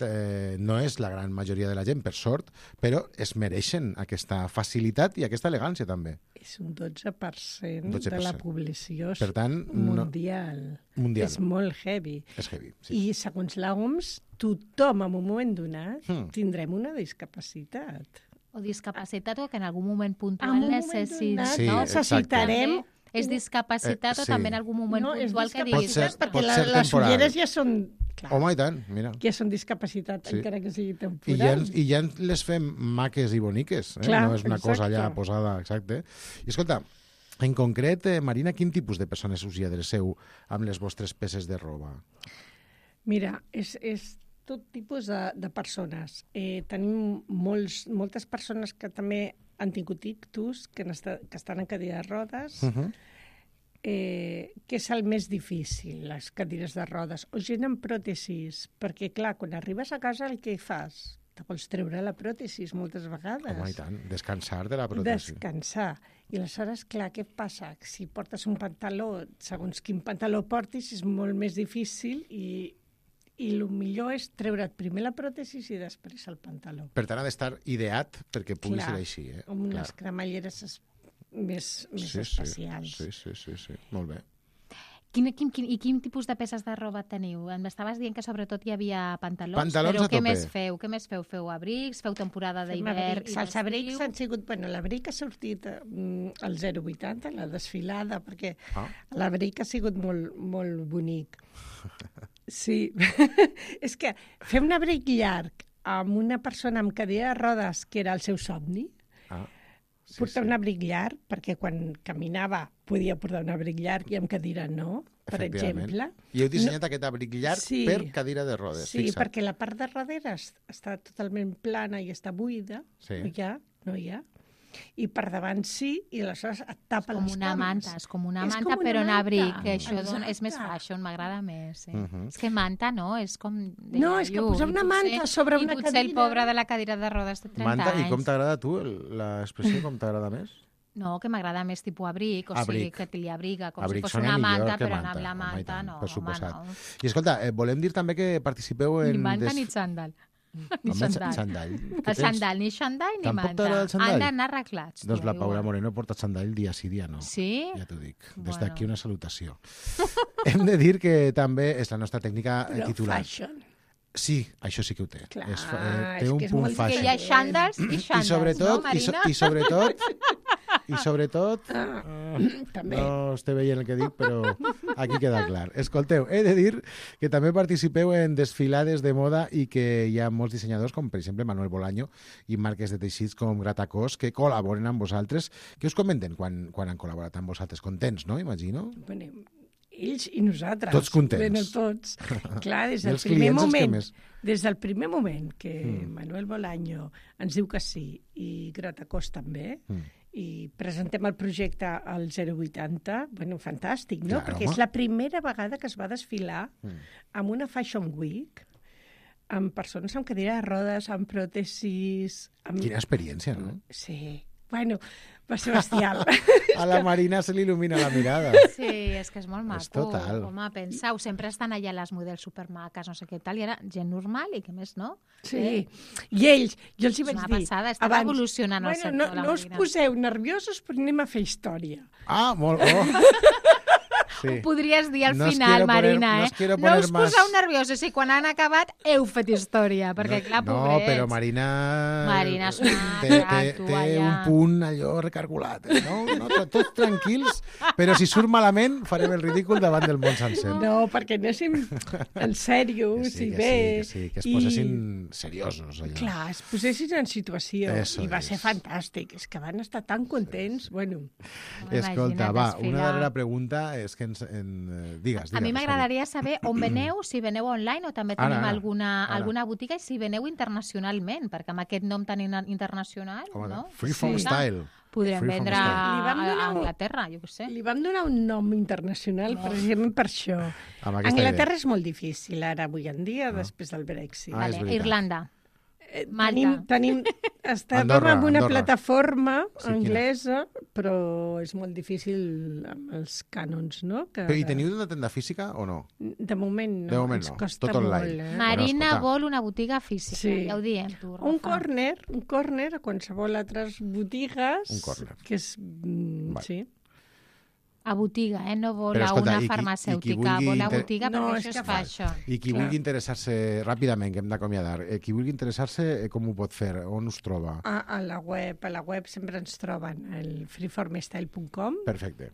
eh, no és la gran majoria de la gent, per sort, però es mereixen aquesta facilitat i aquesta elegància, també. És un dotze per cent dotze per de la cent. població Per tant, no- mundial. Mundial. És molt heavy. És heavy, sí. I segons l'O M S, tothom en un moment donat Hmm. tindrem una discapacitat. O discapacitat o que en algun moment puntual En un moment necessi... donat Sí, no? necessitarem... També és discapacitat Eh, o sí. també en algun moment No, és puntual que Pot diguis... ser- discapacitat, pot perquè la, ser les temporal. ulleres ja són... Clar, Home, i tant, mira. ja són discapacitat, Sí. encara que sigui I ja, temporal. ens- I ja ens les fem maques i boniques. Eh? Clar, no és una cosa exacte. allà posada, exacte. I escolta, en concret, eh, Marina, quin tipus de persones us hi adreceu amb les vostres peces de roba? Mira, és, és tot tipus de, de persones. Eh, tenim molts, moltes persones que també han tingut ictus, que, n'està, que estan en cadira de rodes, Uh -huh. eh, que és el més difícil, les cadires de rodes, o gent amb pròtesis, perquè, clar, quan arribes a casa el que fas? Te vols treure la pròtesis moltes vegades. Home, i tant. Descansar de la pròtesi. Descansar. I aleshores, clar, què passa? Si portes un pantaló, segons quin pantaló portis, és molt més difícil i, i el millor és treure't primer la pròtesi i després el pantaló. Per tant, ha d'estar ideat perquè pugui Clar, ser així. Eh? amb unes Clar. cremalleres es, més, més sí, especials. Sí, sí, sí, sí, molt bé. Quin, quin, quin, I quin tipus de peces de roba teniu? Em estaves dient que sobretot hi havia pantalons, Pantalons però a què tope. més feu? Què més feu? Feu abrics? Feu temporada Fem d'hivern? abrics. Els abrics han sigut... Bueno, l'abric ha sortit mm, al zero coma vuitanta, la desfilada, perquè Ah. l'abric ha sigut molt, molt bonic. Sí. És que fer un abric llarg amb una persona amb cadira de rodes, que era el seu somni, Ah, sí, portar sí. un abric llarg, perquè quan caminava podia portar un abric llarg i amb cadira no, per efectivament. exemple. I heu dissenyat no... aquest abric llarg Sí. per cadira de rodes. Sí, fixa't. perquè la part de darrere es- està totalment plana i està buida, Sí. no hi ha, no hi ha. I per davant sí, i aleshores et tapa Com les una cames. manta, és com una És manta, com una però en manta. abric, que això Exacte. dona, és més fashion, m'agrada més. Sí. Mhm. És que manta, no? És com... de No, és que iaio, posar i una potser- manta sobre una I potser el cadira- pobre de la cadira de rodes de trenta Manta, anys. i com t'agrada a tu el- l'expressió? Com t'agrada més? No, que m'agrada més tipus abric, o sigui, Abric. que te li abriga, com Abric si fos sona una millor manta, que però manta. amb la Home, i manta tant, no, per home, suposat. no. I escolta, eh, volem dir també que participeu en... Ni manta des- ni xandall. Ni Home, xandall. xandall. Què El tens? xandall, ni xandall ni Tampoc manta. t'agrada el xandall? Han d'anar arreglats. Doncs tu, la Paula igual. Moreno porta xandall dia sí, dia no. Sí? Ja t'ho dic. Des Bueno. d'aquí una salutació. Hem de dir que també és la nostra tècnica eh, Però titular. fashion. Sí, això sí que ho té. Clar, és, fa- eh, té és un que és punt molt fashion. Que hi ha xandalls i I xandalls, sobretot, no, i, so, Marina? i sobretot, i sobretot, Ah, eh, també. no estic veient el que dic, però aquí queda clar. Escolteu, he de dir que també participeu en desfilades de moda i que hi ha molts dissenyadors, com per exemple Manuel Bolaño i marques de teixits com Gratacós, que col·laboren amb vosaltres. Què us comenten quan, quan han col·laborat amb vosaltres? Contents, no? Imagino. Bueno, ells i nosaltres. Tots contents. Bueno, tots. Clar, des I del els primer clients els que moment, més. des del primer moment que Mm. Manuel Bolaño ens diu que sí i Gratacós també, Mm. i presentem el projecte al zero vuitanta, bueno, fantàstic, no? Clar, Perquè home. és la primera vegada que es va desfilar Mm. amb una Fashion Week, amb persones amb cadira de rodes, amb pròtesis... Amb... Quina experiència, no? Sí, bueno, va ser bestial. A la Marina se li il·lumina la mirada. Sí, és que és molt maco. És total. Home, penseu, sempre estan allà les models supermaques, no sé què tal, i ara gent normal i què més, no? Sí, Eh? i ells, jo els hi És vaig una dir... passada, estan abans, evolucionant el bueno, sector, no, la no us Marina. poseu nerviosos, però anem a fer història. Ah, molt... Oh. Sí. Ho podries dir al No os final, quiero poner- Marina, no eh? os quiero No poner us más- poseu nerviosos i quan han acabat heu fet història, perquè no, clar, no, pobrets. però Marina... Marina és una té, té, gato, té allà. un punt allò recargolat, eh? no? no? Tots tranquils, però si surt malament farem el ridícul davant del món sencer. No, perquè anéssim en sèrios Que sí, i que bé. sí, que sí, que es i- posessin seriosos allà. Clar, es posessin en situació Eso i va és. ser fantàstic. És que van estar tan contents. Bueno, Escolta, Imagina't va, desfilar. una darrera pregunta és que ens... En, eh, digues, digues. A mi Rosario. m'agradaria saber on veneu, si veneu online o també Ara, tenim ara, alguna, ara. alguna botiga i si veneu internacionalment, perquè amb aquest nom tan in- internacional, Home, no? Freeform Sí. Style. Podrem Freeform vendre Style. a, Li vam a, donar a un- Anglaterra, jo què sé. li vam donar un nom internacional precisament per això. Amb aquesta Anglaterra idea. és molt difícil ara, avui en dia, després del Brexit. Ah, és Vale, veritat. Irlanda. Eh, Malta. Tenim, tenim, estàvem Andorra, amb una Andorra. plataforma Sí, quina? anglesa, però és molt difícil amb els cànons, no? Que Però, I teniu una tenda física o no? De moment no, De moment ens no, costa tot online. molt. Eh? Marina escolta. vol una botiga física, Sí. ja ho diem tu, Rafa. Un corner, un corner a qualsevol altres botigues. Un corner. Que és... Mm, Vale. sí. A botiga, eh? No vol Però, a escolta, una i qui- i qui farmacèutica, vulgui vol a inter- botiga No, perquè és això que es fa fa- això. I qui Clar. vulgui interessar-se, ràpidament, que hem d'acomiadar, eh, qui vulgui interessar-se, eh, com ho pot fer? On us troba? A, a la web, a la web sempre ens troben el freeformstyle punt com. Perfecte.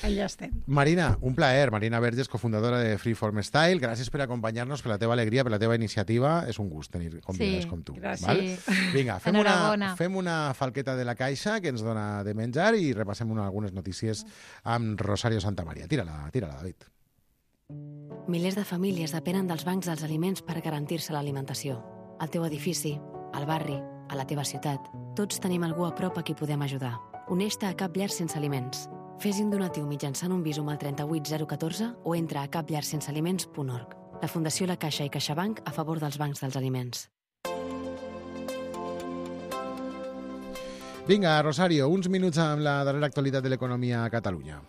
Allà estem. Marina, un plaer. Marina Verges, cofundadora de Freeform Style. Gràcies per acompanyar-nos, per la teva alegria, per la teva iniciativa. És un gust tenir convidades Sí, com tu. gràcies. Val? Vinga, fem una, Enhorabona. fem una falqueta de la caixa que ens dona de menjar i repassem una, algunes notícies amb Rosario Santamaría. Tira-la, tira-la, David. Milers de famílies depenen dels bancs dels aliments per garantir-se l'alimentació. Al teu edifici, al barri, a la teva ciutat, tots tenim algú a prop a qui podem ajudar. Uneix-te a Cap Llar Sense Aliments. Fes un donatiu mitjançant un visum al trenta-vuit zero catorze o entra a cap llar sense aliments punt org. La Fundació La Caixa i CaixaBank a favor dels bancs dels aliments. Vinga, Rosario, uns minuts amb la darrera actualitat de l'economia a Catalunya.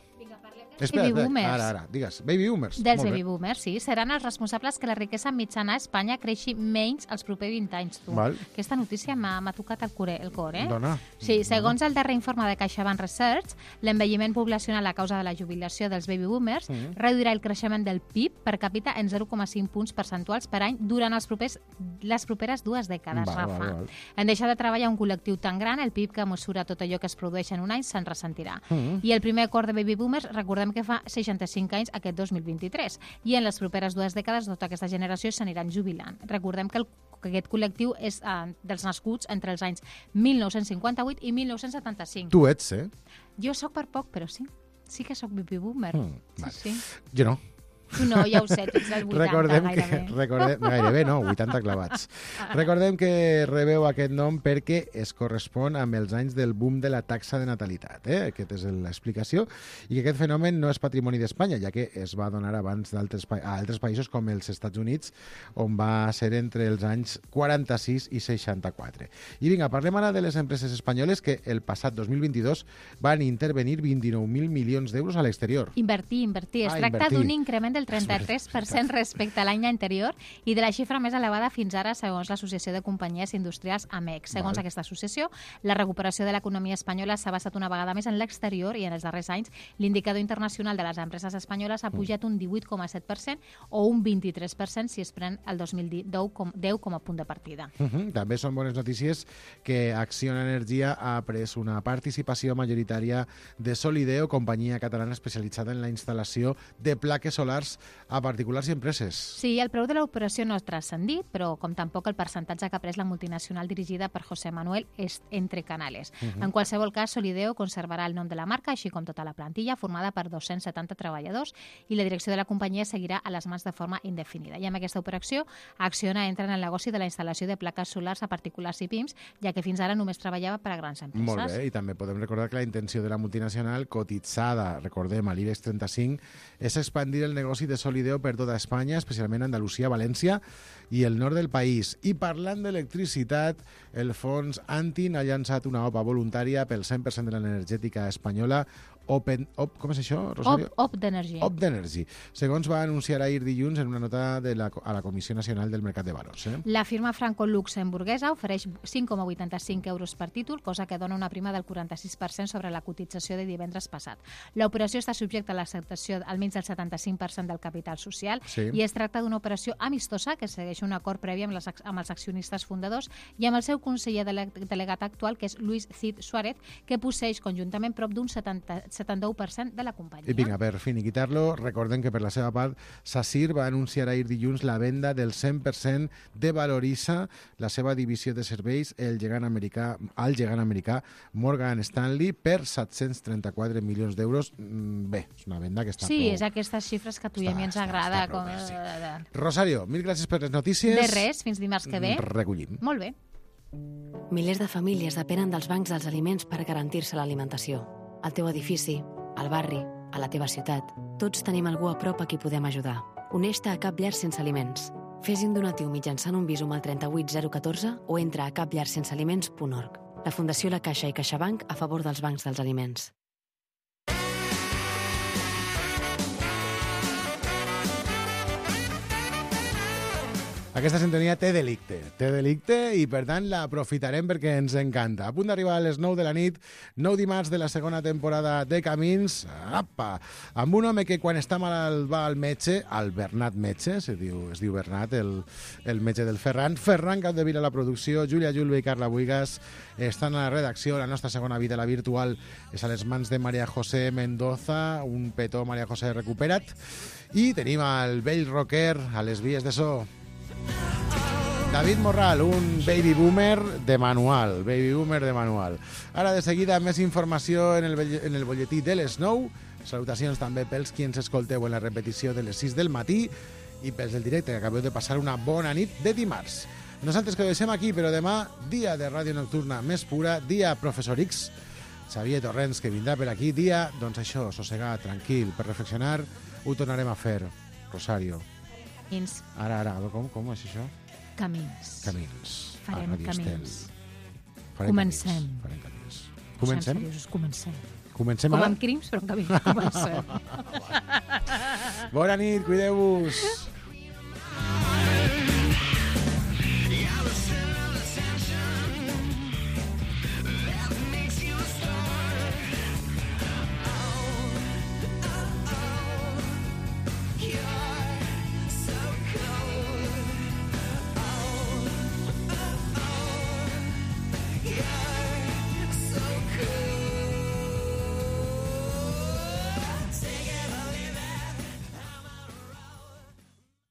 Espera, Baby espera, boomers. ara, ara, digues. Baby boomers. Dels Molt bé. baby boomers, sí. Seran els responsables que la riquesa mitjana a Espanya creixi menys els propers vint anys. Tu. Val. Aquesta notícia m'ha m'ha tocat el, core, el cor, eh? Dona. Sí, segons el darrer informe de CaixaBank Research, l'envelliment poblacional a causa de la jubilació dels baby boomers Mhm. reduirà el creixement del P I B per capita en zero coma cinc punts percentuals per any durant els propers, les properes dues dècades, Val, Rafa. val, val. En deixar de treballar un col·lectiu tan gran, el P I B que mesura tot allò que es produeix en un any se'n ressentirà. Mhm. I el primer acord de baby boomers, recordem que fa seixanta-cinc anys aquest dos mil vint-i-tres. I en les properes dues dècades tota aquesta generació s'aniran jubilant. Recordem que, el, que aquest col·lectiu és eh, dels nascuts entre els anys mil nou-cents cinquanta-vuit i mil nou-cents setanta-cinc. Tu ets, eh? Jo sóc per poc, però sí. Sí que sóc baby boomer. Mm, sí, vale. sí. Jo no. Tu no, ja ho sé, tu ets del vuitanta, Recordem gairebé. que, recordem, gairebé no, vuitanta clavats. Recordem que rebeu aquest nom perquè es correspon amb els anys del boom de la taxa de natalitat. Eh? Aquesta és l'explicació. I que aquest fenomen no és patrimoni d'Espanya, ja que es va donar abans d'altres pa a altres països com els Estats Units, on va ser entre els anys quaranta-sis i seixanta-quatre. I vinga, parlem ara de les empreses espanyoles que el passat dos mil vint-i-dos van intervenir vint-i-nou mil milions d'euros a l'exterior. Invertir, invertir. Es Ah, tracta invertir. d'un increment del trenta-tres per cent respecte a l'any anterior i de la xifra més elevada fins ara segons l'Associació de Companyies Industrials A M E C. Segons Val. aquesta associació, la recuperació de l'economia espanyola s'ha basat una vegada més en l'exterior i en els darrers anys l'indicador internacional de les empreses espanyoles ha pujat un divuit coma set per cent o un vint-i-tres per cent si es pren el dos mil deu com a punt de partida. Uh -huh. També són bones notícies que Acciona Energia ha pres una participació majoritària de Solideo, companyia catalana especialitzada en la instal·lació de plaques solars particulars a particulars i empreses. Sí, el preu de l'operació no ha transcendit, però com tampoc el percentatge que ha pres la multinacional dirigida per José Manuel és entre Canales. Mhm. En qualsevol cas, Solideo conservarà el nom de la marca, així com tota la plantilla, formada per dos-cents setanta treballadors, i la direcció de la companyia seguirà a les mans de forma indefinida. I amb aquesta operació, Acciona entra en el negoci de la instal·lació de plaques solars a particulars i pims, ja que fins ara només treballava per a grans empreses. Molt bé, i també podem recordar que la intenció de la multinacional cotitzada, recordem, a l'IBEX trenta-cinc, és expandir el negoci de Solideo per tota Espanya, especialment Andalusia, València i el nord del país. I parlant d'electricitat, el fons Antin ha llançat una O P A voluntària pel cent per cent de l'energètica espanyola, Open, op, com és això, Rosario? Op, op d'Energy. Op d'Energy, segons va anunciar ahir dilluns en una nota de la, a la Comissió Nacional del Mercat de Valors. Eh? La firma franco-luxemburguesa ofereix cinc coma vuitanta-cinc euros per títol, cosa que dona una prima del quaranta-sis per cent sobre la cotització de divendres passat. L'operació està subjecta a l'acceptació almenys del setanta-cinc per cent del capital social Sí. i es tracta d'una operació amistosa que segueix un acord previ amb, les, amb els accionistes fundadors i amb el seu conseller dele- delegat actual, que és Luis Cid Suárez, que posseix conjuntament prop d'un setanta-u per cent de la companyia. I vinga, per finiquitar-lo, recordem que per la seva part Sacyr va anunciar ahir dilluns la venda del cent per cent de Valorisa, la seva divisió de serveis, el gegant americà, al gegant americà Morgan Stanley, per set-cents trenta-quatre milions d'euros. Mm, Bé, és una venda que està Sí, prou... és aquestes xifres que a tu i a mi ens agrada. Com... Rosario, mil gràcies per les notícies. De res, fins dimarts que ve. Recollim. Molt bé. Milers de famílies depenen dels bancs dels aliments per garantir-se l'alimentació. Al teu edifici, al barri, a la teva ciutat, tots tenim algú a prop a qui podem ajudar. Uneix-te a Cap Llar Sense Aliments. Fes un donatiu mitjançant un Bizum al trenta-vuit zero catorze o entra a cap llar sense aliments punt org. La Fundació La Caixa i CaixaBank a favor dels bancs dels aliments. Aquesta sintonia té delicte, té delicte i per tant l'aprofitarem perquè ens encanta. A punt d'arribar a les nou de la nit, nou dimarts de la segona temporada de Camins, apa, amb un home que quan està malalt va al metge, al Bernat Metge, es diu, es diu Bernat, el, el metge del Ferran, Ferran Capdevila a la producció, Júlia Julve i Carla Buigas estan a la redacció, la nostra segona vida, la virtual, és a les mans de María José Mendoza, un petó María José recupera't, i tenim el vell rocker a les vies de so. David Morral, un baby boomer de manual, baby boomer de manual. Ara de seguida més informació en el, en el bolletí de les nou. Salutacions també pels qui ens escolteu en la repetició de les sis del matí i pels del directe, que acabeu de passar una bona nit de dimarts. Nosaltres que ho deixem aquí, però demà, dia de ràdio nocturna més pura, dia Professor X, Xavier Torrents, que vindrà per aquí, dia, doncs això, sossegat, tranquil, per reflexionar, ho tornarem a fer. Rosario. Camins. Ara, ara, com, com és això? Camins. Camins. Farem A Ràdio camins. Estel. Farem Comencem. Camins. Farem camins. Comencem? Siguem seriosos, comencem. Comencem Com ara? amb crims, però en camins. Comencem. Bona nit, cuideu-vos.